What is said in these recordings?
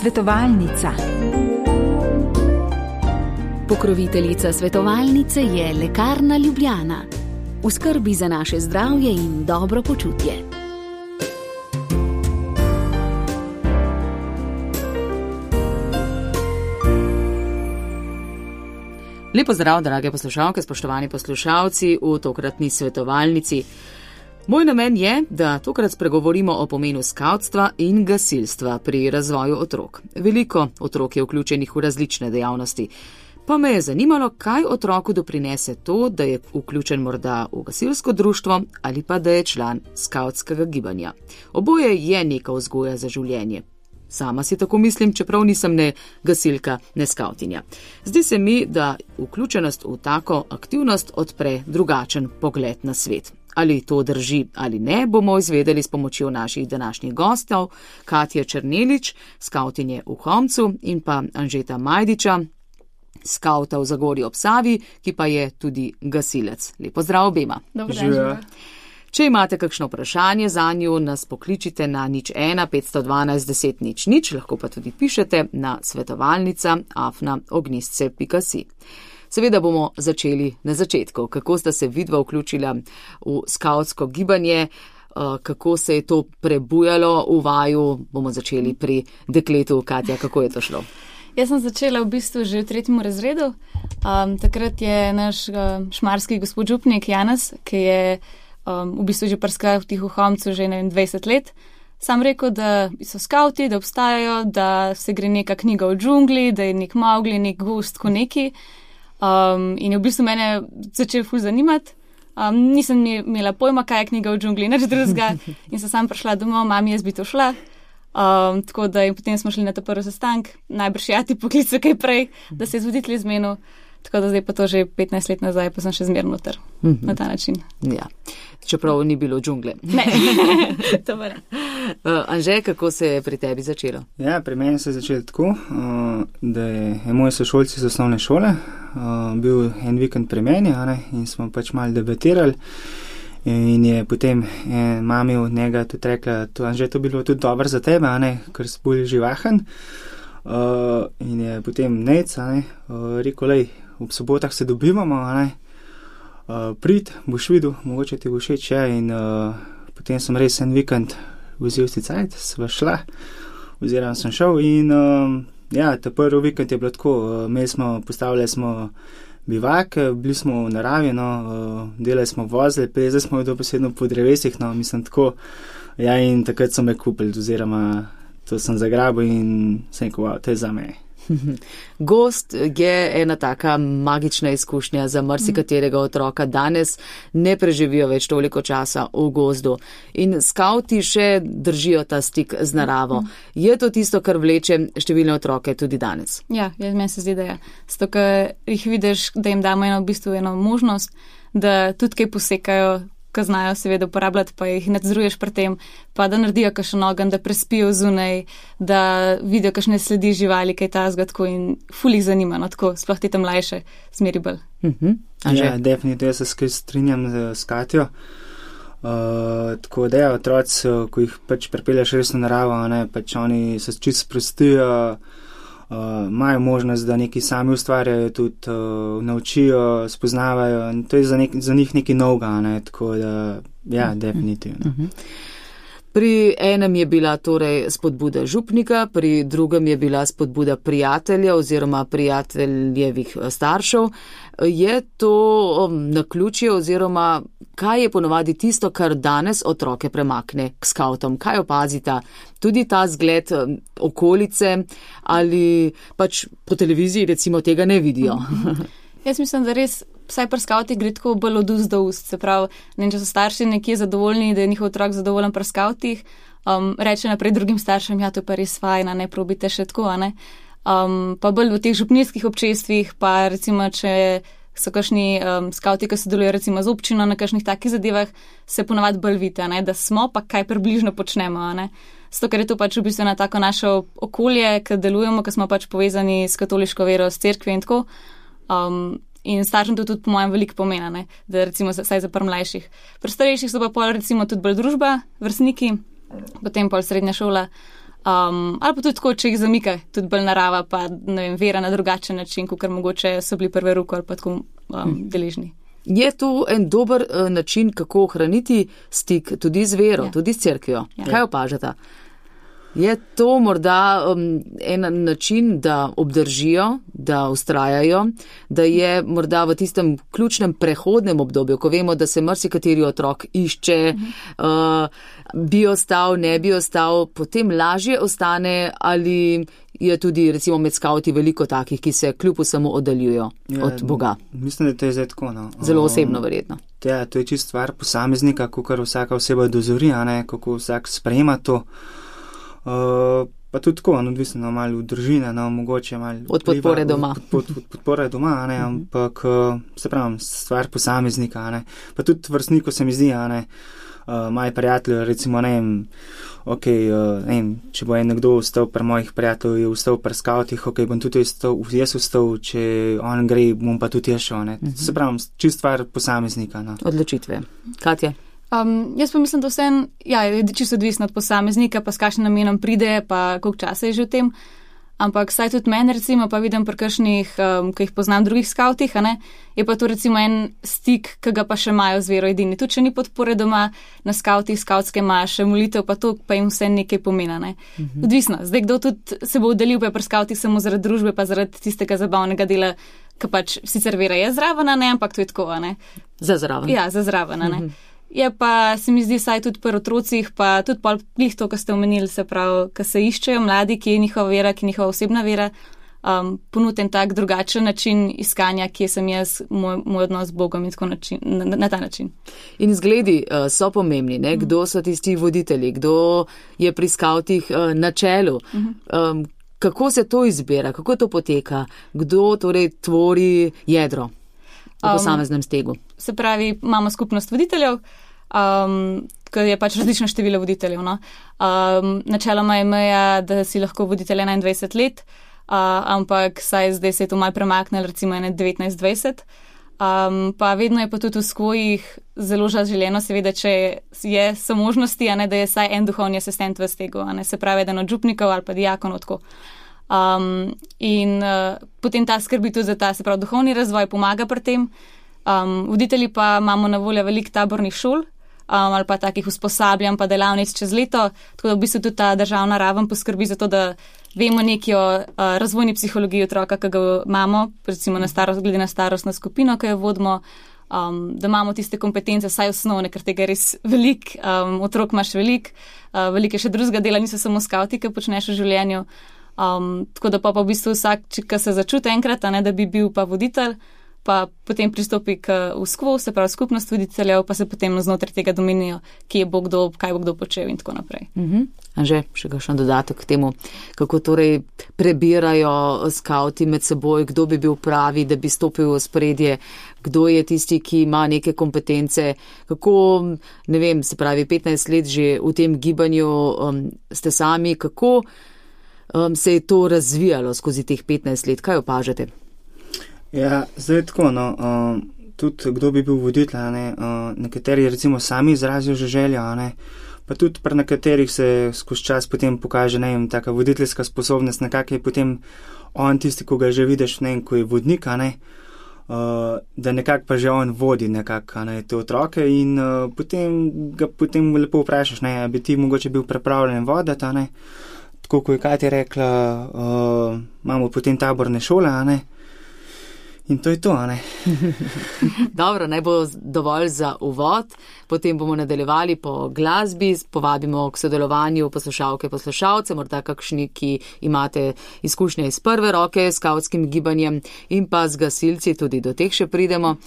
Svetovalnica. Pokroviteljica svetovalnice je Lekarna Ljubljana. V skrbi za naše zdravje in dobro počutje. Lepo zdrav, drage poslušalke, spoštovani poslušalci v tokratni svetovalnici. Moj namen je, da tokrat spregovorimo o pomenu skavtstva in gasilstva pri razvoju otrok. Veliko otrok je vključenih v različne dejavnosti. Pa me je zanimalo, kaj otroku doprinese to, da je vključen morda v gasilsko društvo ali pa da je član skavtskega gibanja. Oboje je neka vzgoja za življenje. Sama si tako mislim, čeprav nisem ne gasilka, ne skavtinja. Zdi se mi, da vključenost v tako aktivnost odpre drugačen pogled na svet. Ali to drži ali ne, bomo izvedeli s pomočjo naših današnjih gostov, Katje Černelič, skavtinje v Homcu, in pa Anžeta Majdiča, skavta v Zagorju ob Savi, ki pa je tudi gasilec. Lepo zdrav obema. Dobro dan. Če imate kakšno vprašanje zanju, nas pokličite na 01 512 10 00, lahko pa tudi pišete na svetovalnica@ognistce.si. Seveda bomo začeli na začetku. Kako sta se vidva vključila v skavtsko gibanje, kako se je to prebujalo v vaju, bomo začeli pri dekletu. Katja, kako je to šlo? Jaz sem začela v bistvu že v 3. razredu. Takrat je naš šmarski gospod župnik Janez, ki je v bistvu že pri skavtih v Homcu že 20 let, sam rekel, da so skavti, da obstajajo, da se gre neka knjiga v džungli, da je nek Mowgli, nek gozd, ko neki. In je v bistvu mene začel ful zanimati. Nisem imela pojma, kaj je knjiga v džungli, nič drugega. In sem sam prišla domov, mami, jaz bi to šla. Tako da in potem smo šli na ta prvi sestank, najbrž ti poklical kaj prej, da se je voditelj izmenil. Tako da zdaj pa to že 15 let nazaj, pa sem še zmerno noter na ta način. Ja, čeprav ni bilo džungle. Ne, to pa ne. Anže, kako se je pri tebi začelo? Ja, pri meni se je začelo tako, da je moj sošolci z osnovne šole bil en vikend pri meni, in smo pač malo debatirali. In je potem mami od njega tudi rekla, Anže, to bilo tudi dobro za tebe, ker si bolj živahen. In je potem nec, rekel, lej, ob sobotah se dobivamo, prid, boš videl, mogoče ti bo všeč, in potem sem res en vikend vzel si cajt, sva šla, oziroma sem šel in ta prvi vikend je bilo tako, postavljali smo bivak, bili smo v naravi, delali smo vozili, plezali smo dobesedno po drevesih, mislim tako, in takrat so me kupili, oziroma to sem zagrabil in sem rekel, wow, to je za me. Gozd je ena taka magična izkušnja za marsikaterega otroka. Danes ne preživijo več toliko časa v gozdu in skavti še držijo ta stik z naravo. Je to tisto, kar vleče številne otroke tudi danes? Ja, meni se zdi, da je. Zato, ker jih vidiš, da jim damo eno možnost, da tudi kaj posekajo, ko znajo seveda uporabljati, pa jih nadzoruješ pri tem, pa da naredijo kakšen ogenj, da prespijo zunaj, da vidijo kakšne sledi živali, kaj tazga, tako in ful jih zanima, tako, sploh te tam mlajše, zmeri bolj. Ja, definitivno, jaz se strinjam z Katjo. Tako da otroci, ko jih pač pripelješ res v naravo, pač oni se čisto sprostijo, imajo možnost, da nekaj sami ustvarjajo, tudi naučijo, spoznavajo in to je za njih nekaj novega, tako da, ja, definitivno. Pri enem je bila torej spodbuda župnika, pri drugem je bila spodbuda prijatelja oziroma prijateljevih staršev. Je to naključje oziroma kaj je ponovadi tisto, kar danes otroke premakne k skavtom? Kaj opazita? Tudi ta zgled okolice ali pač po televiziji recimo tega ne vidijo? Jaz mislim, da res vsaj pri skavtih gre tako bolj od ust do ust. Se pravi, če so starši nekje zadovoljni, da je njihov otrok zadovoljen pri skavtih, reče naprej drugim staršem, ja, to je pa res fajn, ne probite še tako, pa bolj v teh župnijskih občestvih, pa recimo, če so kakšni skavti, ki sodelujejo recimo z občino na kakšnih takih zadevah, se ponavadi bolj vidi, da smo, pa kaj približno počnemo, Zato, ker je to pač v bistvu na tako naše okolje, ki delujemo, ki smo pač povezani s katoliško vero, s cerkvijo in tako. In staršem to tudi po mojem veliko pomena, da recimo saj za par mlajših. Pri starejših so pa pol recimo tudi bolj družba, vrstniki, potem pol srednja šola. Ali pa tudi tako, če jih zamika, tudi bolj narava, pa ne vem, vera na drugačen način, kot mogoče so bili prve roke ali pa tako deležni. Je to en dober način, kako ohraniti stik tudi z vero, tudi s cerkvijo? Kaj opažate? Je to morda en način, da obdržijo, da ustrajajo, da je morda v tistem ključnem prehodnem obdobju, ko vemo, da se marsikateri otrok išče, bi ostal, ne bi ostal, potem lažje ostane, ali je tudi recimo med skavti veliko takih, ki se kljub vsemu oddaljujo od Boga? Mislim, da to je zdaj tako. Zelo osebno verjetno. Ja, to je čist stvar posameznika, kakor vsaka oseba dozori, kako vsak sprejema to. Pa tudi tako, odvisno malo v družine, mogoče malo od podpore doma. Od podpore doma, ampak se pravim, stvar posameznika, pa tudi vrstniku se mi zdi, moji prijatelji, recimo, če bo nekdo ostal pri mojih prijateljih, je ostal pri skavtih, bom tudi jaz ostal, če on gre, bom pa tudi jaz šel, Se pravim, čist stvar posameznika. Odločitve. Katja? Jaz pa mislim, da je čisto odvisno od posameznika, pa s kakšnim namenom pride, pa koliko časa je že v tem. Ampak saj tudi meni, recimo, pa vidim pri kakšnih, ki jih poznam drugih skavtih, je pa to recimo en stik, ki ga pa še imajo z vero edini. Tudi če ni podpore doma na skavtih, skavtske maše, molitev, pa to pa jim vse nekaj pomena. Odvisno. Zdaj, kdo tudi se bo udalil pa pri skavtih samo zaradi družbe, pa zaradi tistega zabavnega dela, ki pač sicer vera je zraven, ampak to je tako, Za zraven. Ja, za zraven, Je pa, se mi zdi, saj tudi pri otrocih, pa tudi glih to, kar ste omenili, se pravi, ko se iščejo mladi, ki je njihova vera, ki je njihova osebna vera, ponuditi en tak drugačen način iskanja, kje sem jaz, moj odnos z Bogom in tako na ta način. In zgledi so pomembni, kdo so tisti voditelji, kdo je pri skavtih na čelu. Kako se to izbira, kako to poteka, kdo torej tvori jedro v posameznem stegu? Se pravi, imamo skupnost voditeljev, ki je pač različno število voditeljev. Načeloma je meja, da si lahko voditelj 21 let, ampak saj zdaj se je to malo premaknilo, recimo 19-20. Pa vedno je pa tudi v skvojih zelo želeno, seveda, če je so možnosti, da je saj en duhovni asistent v stegu, se pravi, eden od župnikov ali pa dijakonov tako. Potem ta skrbi tudi za ta, se pravi, duhovni razvoj, pomaga pri tem. Voditelji pa imamo na voljo veliko tabornih šol ali pa takih usposabljanj pa delavnic čez leto, tako da v bistvu tudi ta državna raven poskrbi za to, da vemo nekaj o razvojni psihologiji otroka, ki ga imamo, recimo glede na starostno skupino, ki jo vodimo, da imamo tiste kompetence, saj osnovne, ker tega je res veliko, otrok imaš veliko je še drugega dela, niso samo skavti, ki počneš v življenju. Tako da pa v bistvu vsak, ki se začuti enkrat, da bi bil pa voditelj, pa potem pristopi k uskvu, se pravi skupnost voditeljev, pa se potem znotraj tega domenijo, kaj bo kdo počel in tako naprej. Anže, še kakšen dodatek k temu, kako torej prebirajo skavti med seboj, kdo bi bil pravi, da bi stopil v spredje, kdo je tisti, ki ima neke kompetence, kako, ne vem, se pravi 15 let že v tem gibanju ste sami, kako se je to razvijalo skozi teh 15 let, kaj opažate? Ja, zdaj tako, tudi kdo bi bil voditelj, nekateri recimo sami izrazijo že željo, pa tudi pri nekaterih se skozi čas potem pokaže, taka voditeljska sposobnost, nekako je potem on tisti, ko ga že vidiš, ko je vodnik, da nekako pa že on vodi nekako, te otroke in potem lepo vprašaš, bi ti mogoče bil pripravljen voditi, tako ko je Katja rekla, imamo potem taborne šole, in to je to, Dobro, naj bo dovolj za uvod, potem bomo nadaljevali po glasbi, povabimo k sodelovanju poslušalke, poslušalce, morda kakšni, ki imate izkušnje iz prve roke s skavtskim gibanjem in pa z gasilci, tudi do teh še pridemo,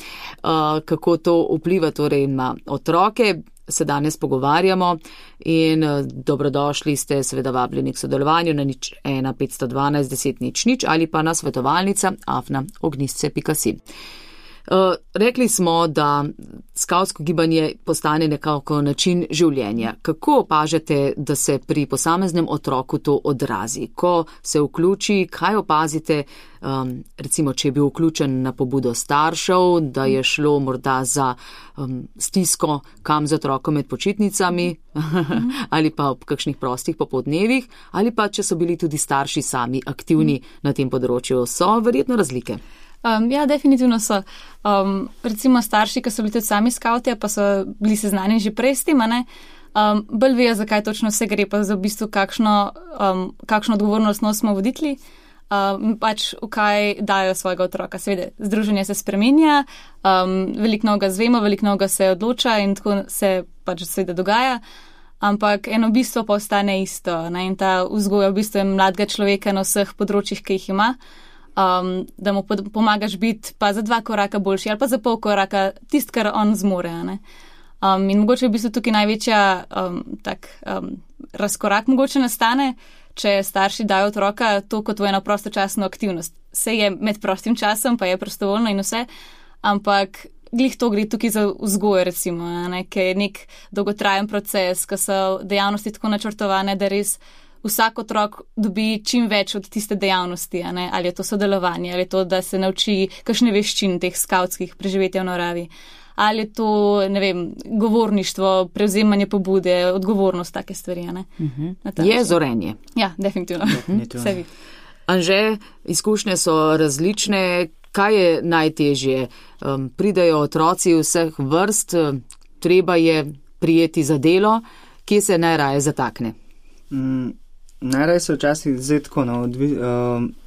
kako to vpliva torej na otroke. Se danes pogovarjamo in dobrodošli ste seveda vabljeni k sodelovanju na 01 512 10 00 ali pa na svetovalnica @ognistce.si. Rekli smo, da skavtsko gibanje postane nekako način življenja. Kako opažate, da se pri posameznem otroku to odrazi? Ko se vključi, kaj opazite, recimo, če je bil vključen na pobudo staršev, da je šlo morda za stisko kam z otrokom med počitnicami ali pa ob kakšnih prostih popoldnevih, ali pa če so bili tudi starši sami aktivni na tem področju, so verjetno razlike. Ja, definitivno so. Recimo starši, ki so bili tudi sami skavti, pa so bili seznanjeni že prej s tem, bolj vejo, zakaj točno vse gre, pa za v bistvu kakšno odgovornost nosimo voditelji, pač v kaj dajo svojega otroka. Seveda, združenje se spreminja, veliko novega zvemo, veliko novega se odloča in tako se pač seveda dogaja, ampak eno bistvo pa ostane isto, in ta vzgoja v bistvu je mladega človeka na vseh področjih, ki jih ima. Da mu pomagaš biti pa za 2 koraka boljši ali pa za pol koraka tist, kar on zmore. In mogoče v bistvu tukaj največja razkorak mogoče nastane, če starši dajo otroka to kot v eno prostočasno aktivnost. Vse je med prostim časom, pa je prostovoljno in vse, ampak glih to gre tukaj za vzgojo, recimo, ki je nek dolgotrajen proces, ko so dejavnosti tako načrtovane, da res vsak otrok dobi čim več od tiste dejavnosti, ali je to sodelovanje, ali je to, da se nauči kakšne veščine teh skavtskih preživetja v naravi, ali je to, ne vem, govorništvo, prevzemanje pobude, odgovornost, take stvari. Je zorenje. Ja, definitivno. Vse vidi. Anže, izkušnje so različne. Kaj je najtežje? Pridajo otroci vseh vrst, treba je prijeti za delo, kje se najraje zatakne? Najraje se včasih zdaj tako,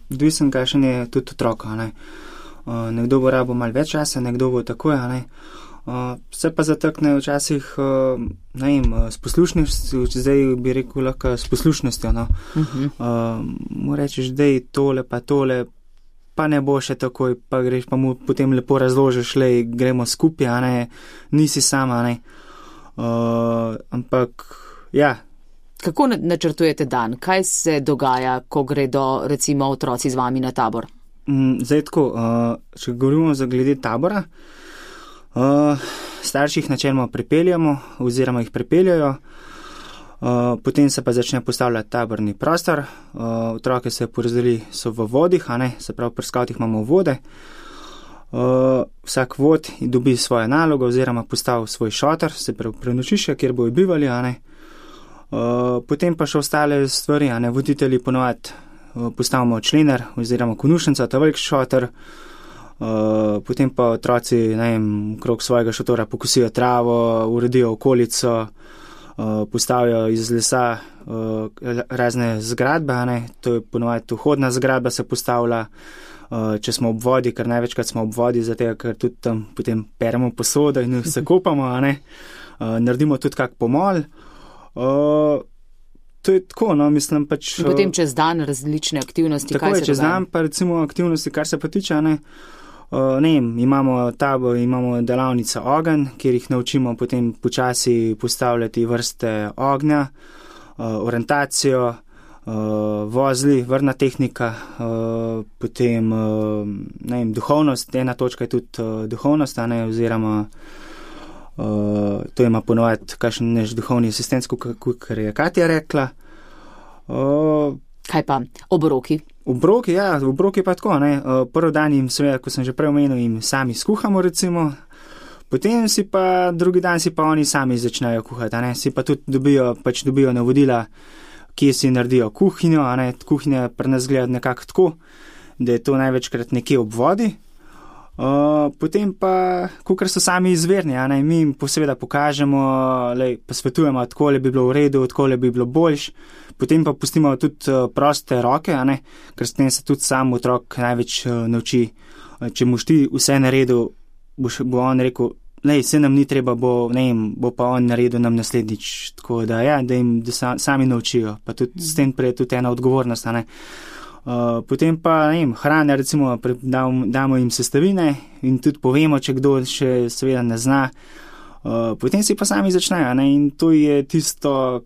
odvisen, kakšen je tudi otroka. Nekdo bo rabo malo več časa, nekdo bo takoj. Se pa zatakne včasih s poslušnostjo, zdaj bi rekel lahko s poslušnostjo. Mu rečeš, da je tole pa tole, pa ne bo še takoj, pa greš, pa mu potem lepo razložiš, gremo skupaj, nisi sama. Ampak, ja. Kako načrtujete dan? Kaj se dogaja, ko gredo recimo otroci z vami na tabor? Zdaj tako, če govorimo glede tabora, starši jih načeloma pripeljamo oziroma jih pripeljajo, potem se pa začne postavljati taborni prostor, otroke se porazdeli so v vodih, se pravi pri skavtih imamo vode, vsak vod dobi svojo nalogo oziroma postavi svoj šotor, se pravi prenočišče, kjer bojo bivali, potem pa še ostale stvari, voditelji ponovadi postavimo člener oziroma konušnica, ta velik šotor, potem pa otroci, okrog svojega šotora pokosijo travo, uredijo okolico, postavijo iz lesa razne zgradbe, to je ponovadi vhodna zgradba se postavlja, če smo ob vodi, ker največkrat smo ob vodi, zato ker tudi tam potem peremo posodo in se kopamo, naredimo tudi kak pomol. To je tako, mislim pač. In potem čez dan različne aktivnosti, tako kaj se dogaja? Tako je, čez dan pa recimo aktivnosti, kar se pa tiče, imamo tabor, imamo delavnico ogenj, kjer jih naučimo potem počasi postavljati vrste ognja, orientacijo, vozli, vrna tehnika, potem, duhovnost, ena točka je tudi duhovnost, oziroma to ima ponovati kakšen naš duhovni asistent, kar je Katja rekla. Kaj pa obroki? Obroki pa tako, prvi dan jim seveda, ko sem že prej omenil, jim sami skuhamo recimo, potem si pa drugi dan si pa oni sami začnejo kuhati, si pa tudi dobijo navodila, kje si naredijo kuhinjo, kuhinja pri nas gleda nekako tako, da je to največkrat nekje ob vodi. Potem pa, kakor so sami izverni, mi jim seveda pokažemo, pa svetujemo, takole bi bilo v redu, takole bi bilo boljš, potem pa pustimo tudi proste roke, ker s tem se tudi sam otrok največ nauči. Če boš ti vse naredil, bo on rekel, vse nam ni treba, bo pa on naredil nam naslednjič, tako da jim sami naučijo, pa tudi s tem prej tudi ena odgovornost, Potem pa, hrane, recimo, damo jim sestavine in tudi povemo, če kdo še seveda ne zna. Potem si pa sami začnejo, in to je tisto,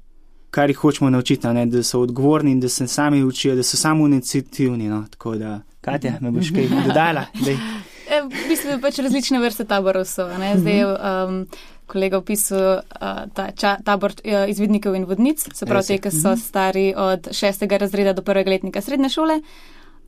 kar jih hočemo naučiti, da so odgovorni in da se sami učijo, da so samo iniciativni, Tako da, Katja, me boš kaj dodala? v bistvu pač različne vrste taborov so. Zdaj kolega opisal tabor izvidnikov in vodnic, se pravi te, ki so stari od 6. razreda do 1. letnika srednje šole,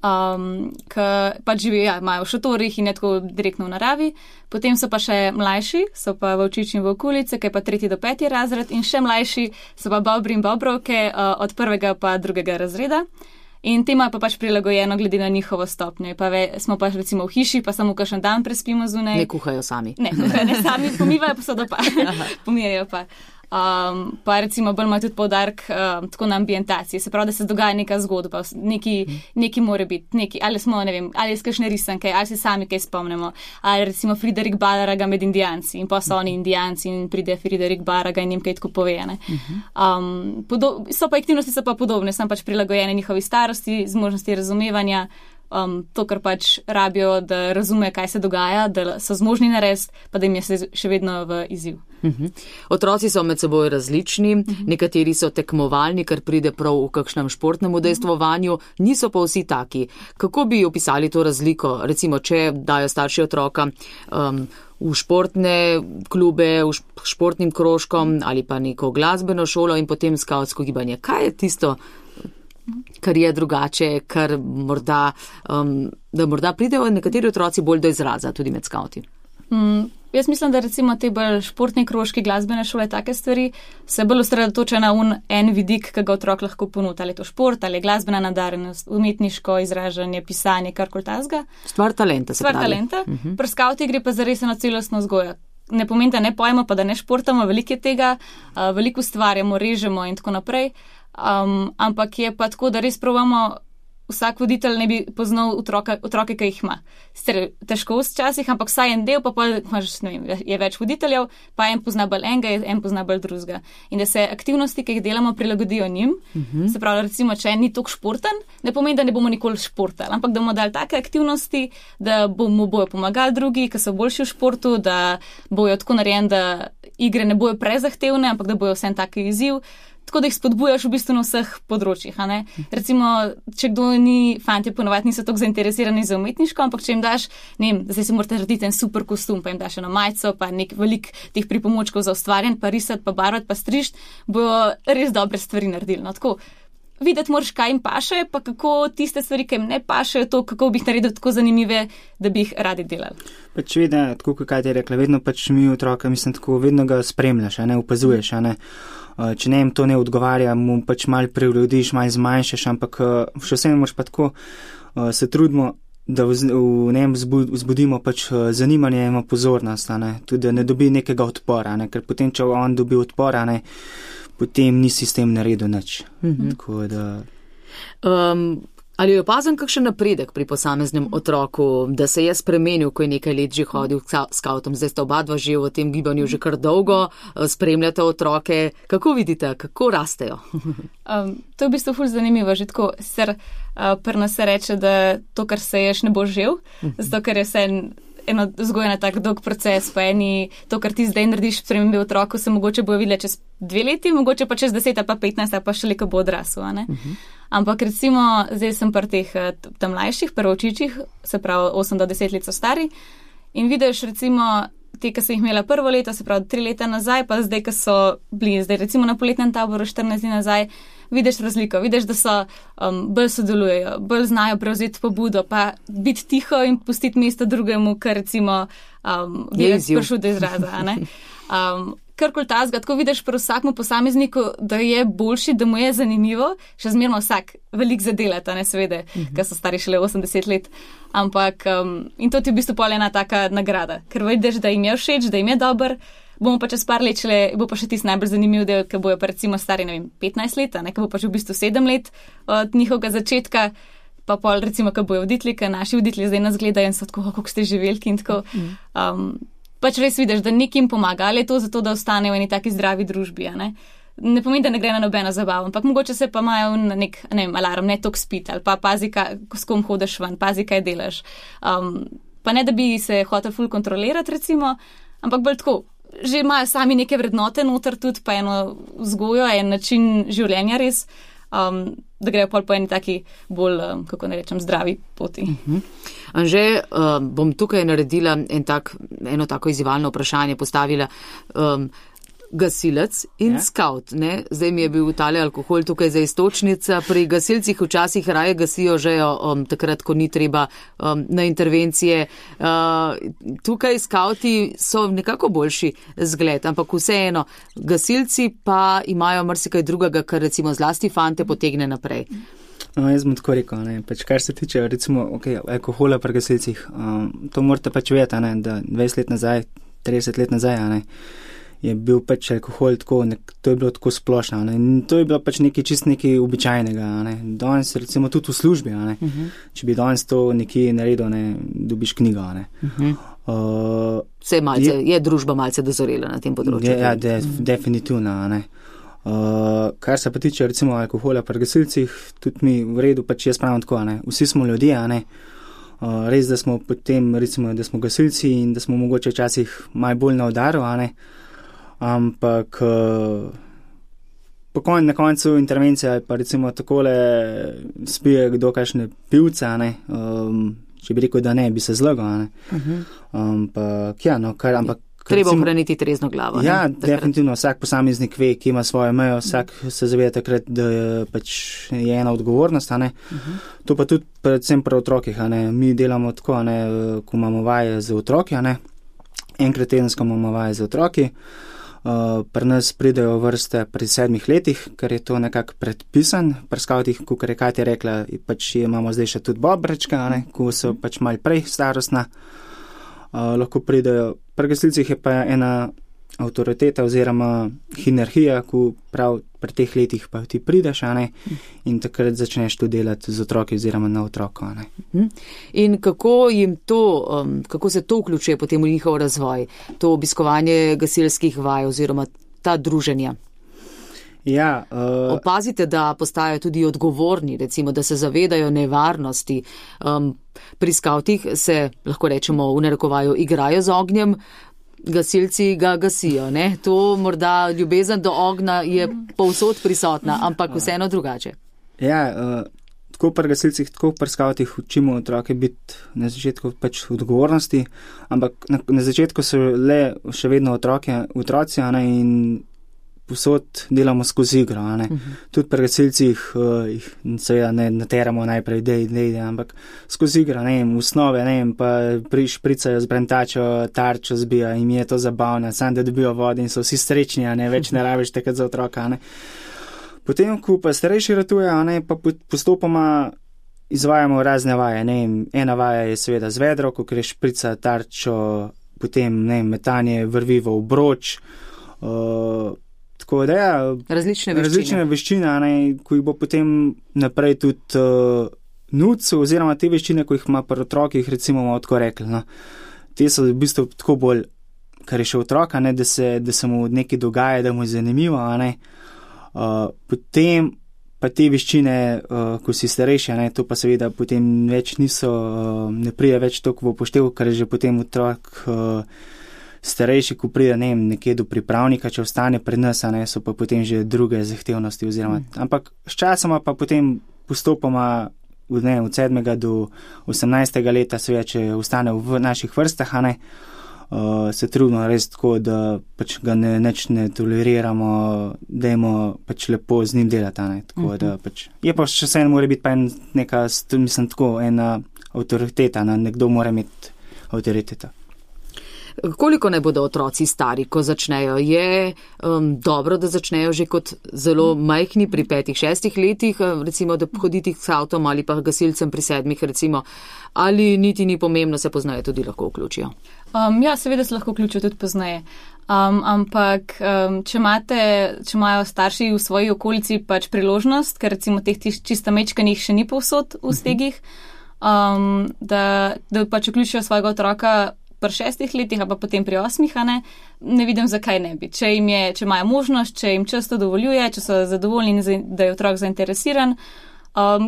ki pač živijo, imajo v šotorih in je tako direktno v naravi. Potem so pa še mlajši, so pa v Vlčič in v okolice, ki je pa 3. do 5. razred, in še mlajši so pa bobri in bobrovke od 1. pa 2. razreda. In tema pa pač prilagojeno glede na njihovo stopnjo. Pa smo pa recimo v hiši, pa samo kakšen dan prespimo zunaj. Ne kuhajo sami. Ne sami, pomivajo posodo pa, pomirajo pa. Pa recimo bolj ima tudi poudarek tako na ambientaciji, se pravi, da se dogaja neka zgodba, neki more biti, ali smo, ne vem, ali iz kakšne risanke, ali se sami kaj spomnimo, ali recimo Friderik Baraga med Indijanci in pa so oni Indijanci in pride Friderik Baraga in jim kaj tako pove. So pa aktivnosti so pa podobne, sem pač prilagojene njihovi starosti, zmožnosti razumevanja, to, kar pač rabijo, da razume, kaj se dogaja, da so zmožni narediti, pa da jim je še vedno v izziv. Otroci so med seboj različni, nekateri so tekmovalni, kar pride prav v kakšnem športnem udejstvovanju, niso pa vsi taki. Kako bi opisali to razliko, recimo, če dajo starši otroka v športne klube, v športnim krožkom ali pa neko glasbeno šolo in potem skavtsko gibanje? Kaj je tisto, kar je drugače, kar morda, da morda pridejo nekateri otroci bolj do izraza tudi med skavti? Jaz mislim, da recimo te bolj športni krožki, glasbene šole, take stvari, se bolj osredotoča na en vidik, ki ga otrok lahko ponudi, ali je to šport, ali je glasbena nadarjenost, umetniško izražanje, pisanje, karkoli tasga. Stvar talenta, se pravi. Stvar talenta. Pri skavti gre pa zares na celostno vzgojo. Ne pomeni, da ne pojemo, pa da ne športamo, veliko je tega, veliko ustvarjamo, režemo in tako naprej, ampak je pa tako, da res probamo, vsak voditelj ne bi poznal otroke, ki jih ima. Težko včasih, ampak vsaj en del, pa imaš, ne vem, je več voditeljev, pa en pozna bolj enega, en pozna bolj drugega. In da se aktivnosti, ki jih delamo, prilagodijo njim. Se pravi, recimo, če en ni toliko športen, ne pomeni, da ne bomo nikoli športali, ampak da bomo dali take aktivnosti, da bojo pomagali drugi, ki so boljši v športu, da bojo tako narejeni, da igre ne bojo prezahtevne, ampak da bojo vsem taki izziv. Tako da jih spodbujaš v bistvu na vseh področjih. Recimo, če kdo ni, fantje ponovadi niso tako zainteresirani za umetniško, ampak če jim daš, ne vem, zdaj si morate narediti en super kostum, pa jim daš eno majico, pa nek velik teh pripomočkov za ustvarjanje, pa risati, pa barvati, pa strišt, bojo res dobre stvari naredili. Tako, videti moraš, kaj jim paše, pa kako tiste stvari, ki jim ne pašejo, to, kako bi jih naredil tako zanimive, da bi jih radi delali. Pač vedno, tako kot je rekla, vedno pač mi otroka, mislim, tako vedno ga spremljaš, opazuješ, Če ne jim to ne odgovarja, mu pač malo prilagodiš, malo zmanjšaš, ampak še vsem moraš pa tako se trudimo, da v njem vzbudimo pač zanimanje in pozornost, tudi da ne dobi nekega odpora, ker potem, če on dobi odpora, potem nisi s tem naredil nič. Tako da... Ali je opazen kakšen napredek pri posameznem otroku, da se je spremenil, ko je nekaj let že hodil skavtom? Zdaj sta oba dva že v tem gibanju že kar dolgo, spremljate otroke. Kako vidite, kako rastejo? To je v bistvu ful zanimivo. Že tako, pri nas se reče, da to, kar seješ, ne bo žel, zato ker je vse eno vzgoja na tak dolg proces, pa to, kar ti zdaj narediš spremembe v otroku, se mogoče bojo videli čez 2 leti, mogoče pa čez 10, pa 15, pa še ko bo odrasel. Ampak recimo, zdaj sem pri teh tam mlajših, prvočičih, se pravi 8 do 10 let so stari in vidiš recimo te, ki sem jih imela prvo leto, se pravi 3 leta nazaj, pa zdaj, ki so bili zdaj recimo na poletnem taboru 14 dni nazaj, vidiš razliko, vidiš, da so bolj sodelujejo, bolj znajo prevzeti pobudo, pa biti tiho in pustiti mesto drugemu, kar recimo je prišel do izraza. Karkoli tasga, tako vidiš pri vsakmu posamezniku, da je boljši, da mu je zanimivo, še zmerno vsak veliko zadelata, seveda, ker so stari šele 80 let, ampak in to ti v bistvu pol ena taka nagrada, ker vidiš, da jim je všeč, da jim je dober, bomo pa čez par let šele, bo pa še tisti najbolj zanimiv del, ker bojo pa recimo stari, 15 let, ker bo pa že v bistvu 7 let od njihovega začetka, pa pol recimo, ker bojo voditelji, ker naši voditelji zdaj nas gledajo in so tako, kako ste že veliki in tako. Pač res vidiš, da nekim pomaga, ali je to zato, da ostanejo v eni taki zdravi družbi. Ne pomeni, da ne gre na nobeno zabavo, ampak mogoče se pa imajo na nek alarm, ne toliko spiti, ali pa pazi, s kom hodeš ven, pazi, kaj delaš. Pa ne, da bi se hotel ful kontrolirati, recimo, ampak bolj tako, že imajo sami neke vrednote noter tudi, pa eno vzgojo, en način življenja res, da grejo pol po eni taki bolj, kako ne rečem, zdravi poti. Anže, bom tukaj naredila eno tako izzivalno vprašanje, postavila gasilec in skavt. Ne? Zdaj mi je bil tale alkohol tukaj za istočnica. Pri gasilcih včasih raje gasijo že takrat, ko ni treba na intervencije. Tukaj skavti so nekako boljši zgled, ampak vseeno, gasilci pa imajo marsikaj drugega, kar recimo zlasti fante potegne naprej. Jaz bom tako rekel, kar se tiče recimo alkohola pri gasilcih, to morate vedeti, da 20 let nazaj, 30 let nazaj, je bil alkohol tako, to je bilo tako splošno, in to je bilo nekaj običajnega, Danes recimo tudi v službi, Če bi danes to nekje naredil, dobiš knjigo, je družba malce dozorela na tem področju. Ja, definitivno, Kar se pa tiče recimo alkohola pri gasilcih, tudi mi v redu, jaz pravim tako, Vsi smo ljudje, Res, da smo potem, recimo, da smo gasilci in da smo mogoče včasih malo bolj na udaru, ampak na koncu intervencije ali pa recimo takole spije kdo kakšne pivce, če bi rekel, da ne, bi se zlagal, ampak treba ohraniti trezno glavo. Ja, definitivno, vsak posameznik ve, ki ima svojo mejo, vsak se zaveda takrat, da je ena odgovornost, To pa tudi predvsem pri otrokih, Mi delamo tako, ko imamo vaje z otroki, Enkrat tedensko imamo vaje z otroki. Pri nas pridejo vrste pri 7 letih, ker je to nekako predpisan. Pri skavtih, kot je Katja rekla, imamo zdaj še tudi bobrečka, ko so malo prej starostna. Lahko pridejo. Pri gasilcih je pa ena avtoriteta oziroma hierarhija, ko prav pri teh letih pa ti prideš, in takrat začneš to delati z otroki oziroma na otroko. In kako se to vključuje potem v njihov razvoj, to obiskovanje gasilskih vaj oziroma ta druženja? Ja, opazite, da postajajo tudi odgovorni, recimo, da se zavedajo nevarnosti. Pri skavtih se, lahko rečemo, v narekovaju igrajo z ognjem, gasilci ga gasijo. To morda ljubezen do ognja je povsod prisotna, ampak vseeno drugače. Ja, tako pri gasilcih, tako pri skavtih učimo otroke biti na začetku odgovornosti, ampak na začetku so še vedno otroci, in posod delamo skozi igro, Tudi pri gasilcih jih seveda ne nateramo najprej, dej, ampak skozi igro, v osnove, pa špricajo z brentačo, tarčo zbija, jim je to zabavno, samo da dobijo vode in so vsi srečni, več ne rabiš takrat za otroka, Potem, ko pa starejši ratujejo, pa postopoma izvajamo razne vaje, ena vaja je seveda z vedro, ko greš šprica, tarčo, potem, metanje vrvi v obroč, tako da različne veščine, ko jih bo potem naprej tudi nuc, oziroma te veščine, ko jih ima pri otrokih, recimo bomo tako rekli. Te so v bistvu tako bolj, kar je še otroka, da se mu nekaj dogaja, da mu je zanimivo. Potem pa te veščine, ko si starejši, to pa seveda potem več ne pride več toliko v upoštev, ker je že potem otrok starejši, ko pride nekje do pripravnika, če ostane pri nas, so pa potem že druge zahtevnosti. Ampak s časoma pa potem postopoma od 7. do 18. leta, seveda, če ostane v naših vrstah, se trudimo res tako, da ga neč ne toleriramo, dajmo lepo z njim delati. Tako da je pa še vse mora biti pa ena avtoriteta, nekdo mora imeti avtoriteto. Koliko naj bodo otroci stari, ko začnejo? Je dobro, da začnejo že kot zelo majhni pri 5-6 letih, recimo, da hoditi s avtom ali pa gasilcem pri 7, recimo, ali niti ni pomembno, se poznaje tudi lahko vključijo? Ja, seveda se lahko vključijo tudi poznaje. Ampak, če imajo starši v svoji okolici priložnost, ker recimo teh čisto mečkanih še ni povsod v stegih, da vključijo svojega otroka pri 6 letih, pa potem pri 8, ne vidim, zakaj ne bi. Če imajo možnost, če jim čas to dovoljuje, če so zadovoljni, da je otrok zainteresiran,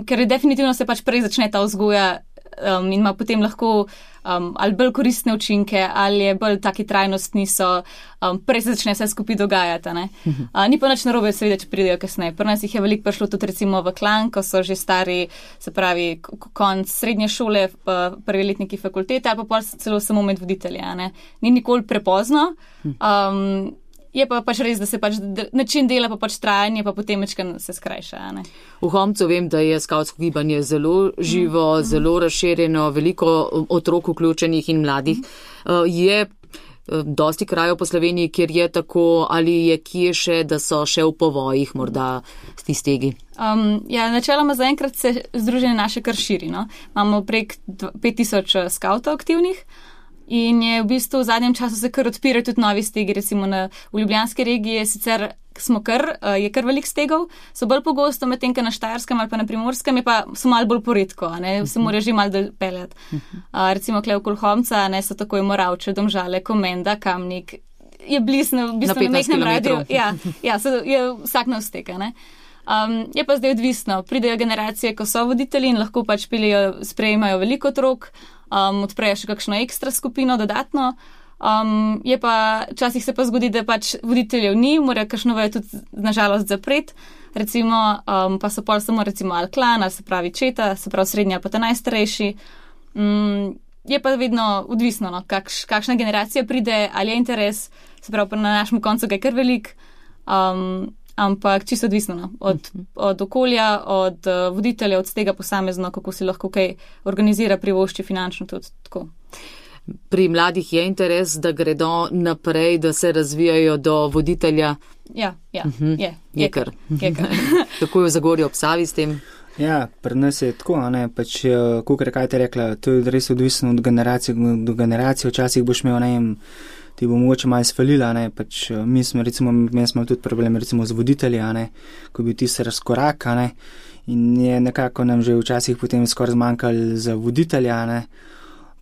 ker definitivno se prej začne ta vzgoja in ima potem lahko ali bolj koristne učinke, ali je bolj taki trajnostni so, prej se začne vse skupaj dogajati. Ni pa nič narobe, seveda, če pridejo kasneje. Pri nas jih je veliko prišlo tudi recimo v klan, ko so že stari, se pravi, konc srednje šole, prvi letniki fakultete ali pa celo samo med voditelji. Ni nikoli prepozno. Je pa pač res, da se pač način dela pa pač trajanje, pa potem večkrat se skrajša. V Homcu vem, da je skavtsko gibanje zelo živo, zelo razširjeno, veliko otrok vključenih in mladih. Je dosti krajev po Sloveniji, kjer je tako, ali je kje še, da so še v povojih morda ti stegi? Načeloma zaenkrat se združenje naše kar širi. Imamo prek 5000 skavtov aktivnih. In je v bistvu v zadnjem času se kar odpirajo tudi novi stegi, recimo v ljubljanski regiji sicer je kar velik stegov, so bolj pogosto, medtem ko na Štajerskem ali pa na Primorskem so malo bolj poredko, se morajo že malo dopeljati. Recimo tukaj okoli Homca so takoj Moravče, Domžale, Komenda, Kamnik, je blizu, v bistvu na mestnem radiju. Ja, je vsak na vztek. Je pa zdaj odvisno, pridejo generacije, ko so voditelji in lahko pač sprejemajo veliko otrok, odprejo še kakšno ekstra skupino dodatno. Je pa, včasih se pa zgodi, da pač voditeljev ni, morajo kakšno vejo tudi nažalost zapreti, recimo, pa so pol samo recimo ali klan, ali se pravi četa, se pravi srednji ali pa ta najstarejši. Je pa vedno odvisno, kakšna generacija pride, ali je interes, se pravi na našem koncu ga je kar velik, ampak čisto odvisno od okolja, od voditelja, od tega posamezno, kako si lahko kaj organizira, privošči finančno tudi tako. Pri mladih je interes, da gredo naprej, da se razvijajo do voditelja? Ja, je kar. Kako je v Zagorju ob Savi s tem? Ja, pri nas je tako, pač, kakor kaj te rekla, to je res odvisno od generacije do generacije, včasih boš imel, ti bo mogoče malo svalila, pač mi smo tudi problem recimo z voditelji, ko bi ti se razkorak, in je nekako nam že včasih potem skoraj zmanjkalo za voditelja,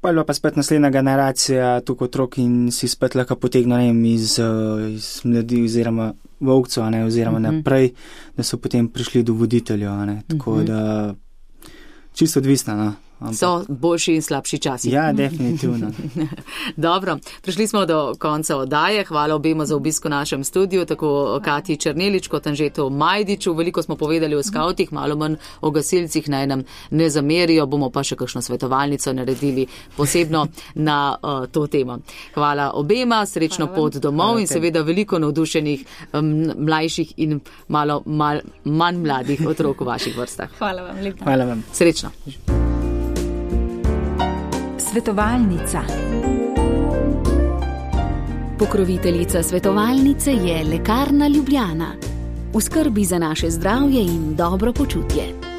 pa je pa spet naslednja generacija tukaj otrok in si spet lahko potegnil, iz mladi oziroma volkcev, oziroma naprej, da so potem prišli do voditeljev, tako da čisto odvisno, So boljši in slabši časi. Ja, definitivno. Dobro, prišli smo do konca oddaje. Hvala obema za obisk v našem studiu, tako Katji Černelič kot Anžetu Majdiču. Veliko smo povedali o skavtih, malo manj o gasilcih, naj nam ne zamerijo, bomo pa še kakšno svetovalnico naredili posebno na to temo. Hvala obema, srečno pot domov in seveda veliko navdušenih mlajših in malo manj mladih otrok v vaših vrstah. Hvala vam, lepo. Hvala vam. Srečno. Svetovalnica. Pokroviteljica svetovalnice je Lekarna Ljubljana. V skrbi za naše zdravje in dobro počutje.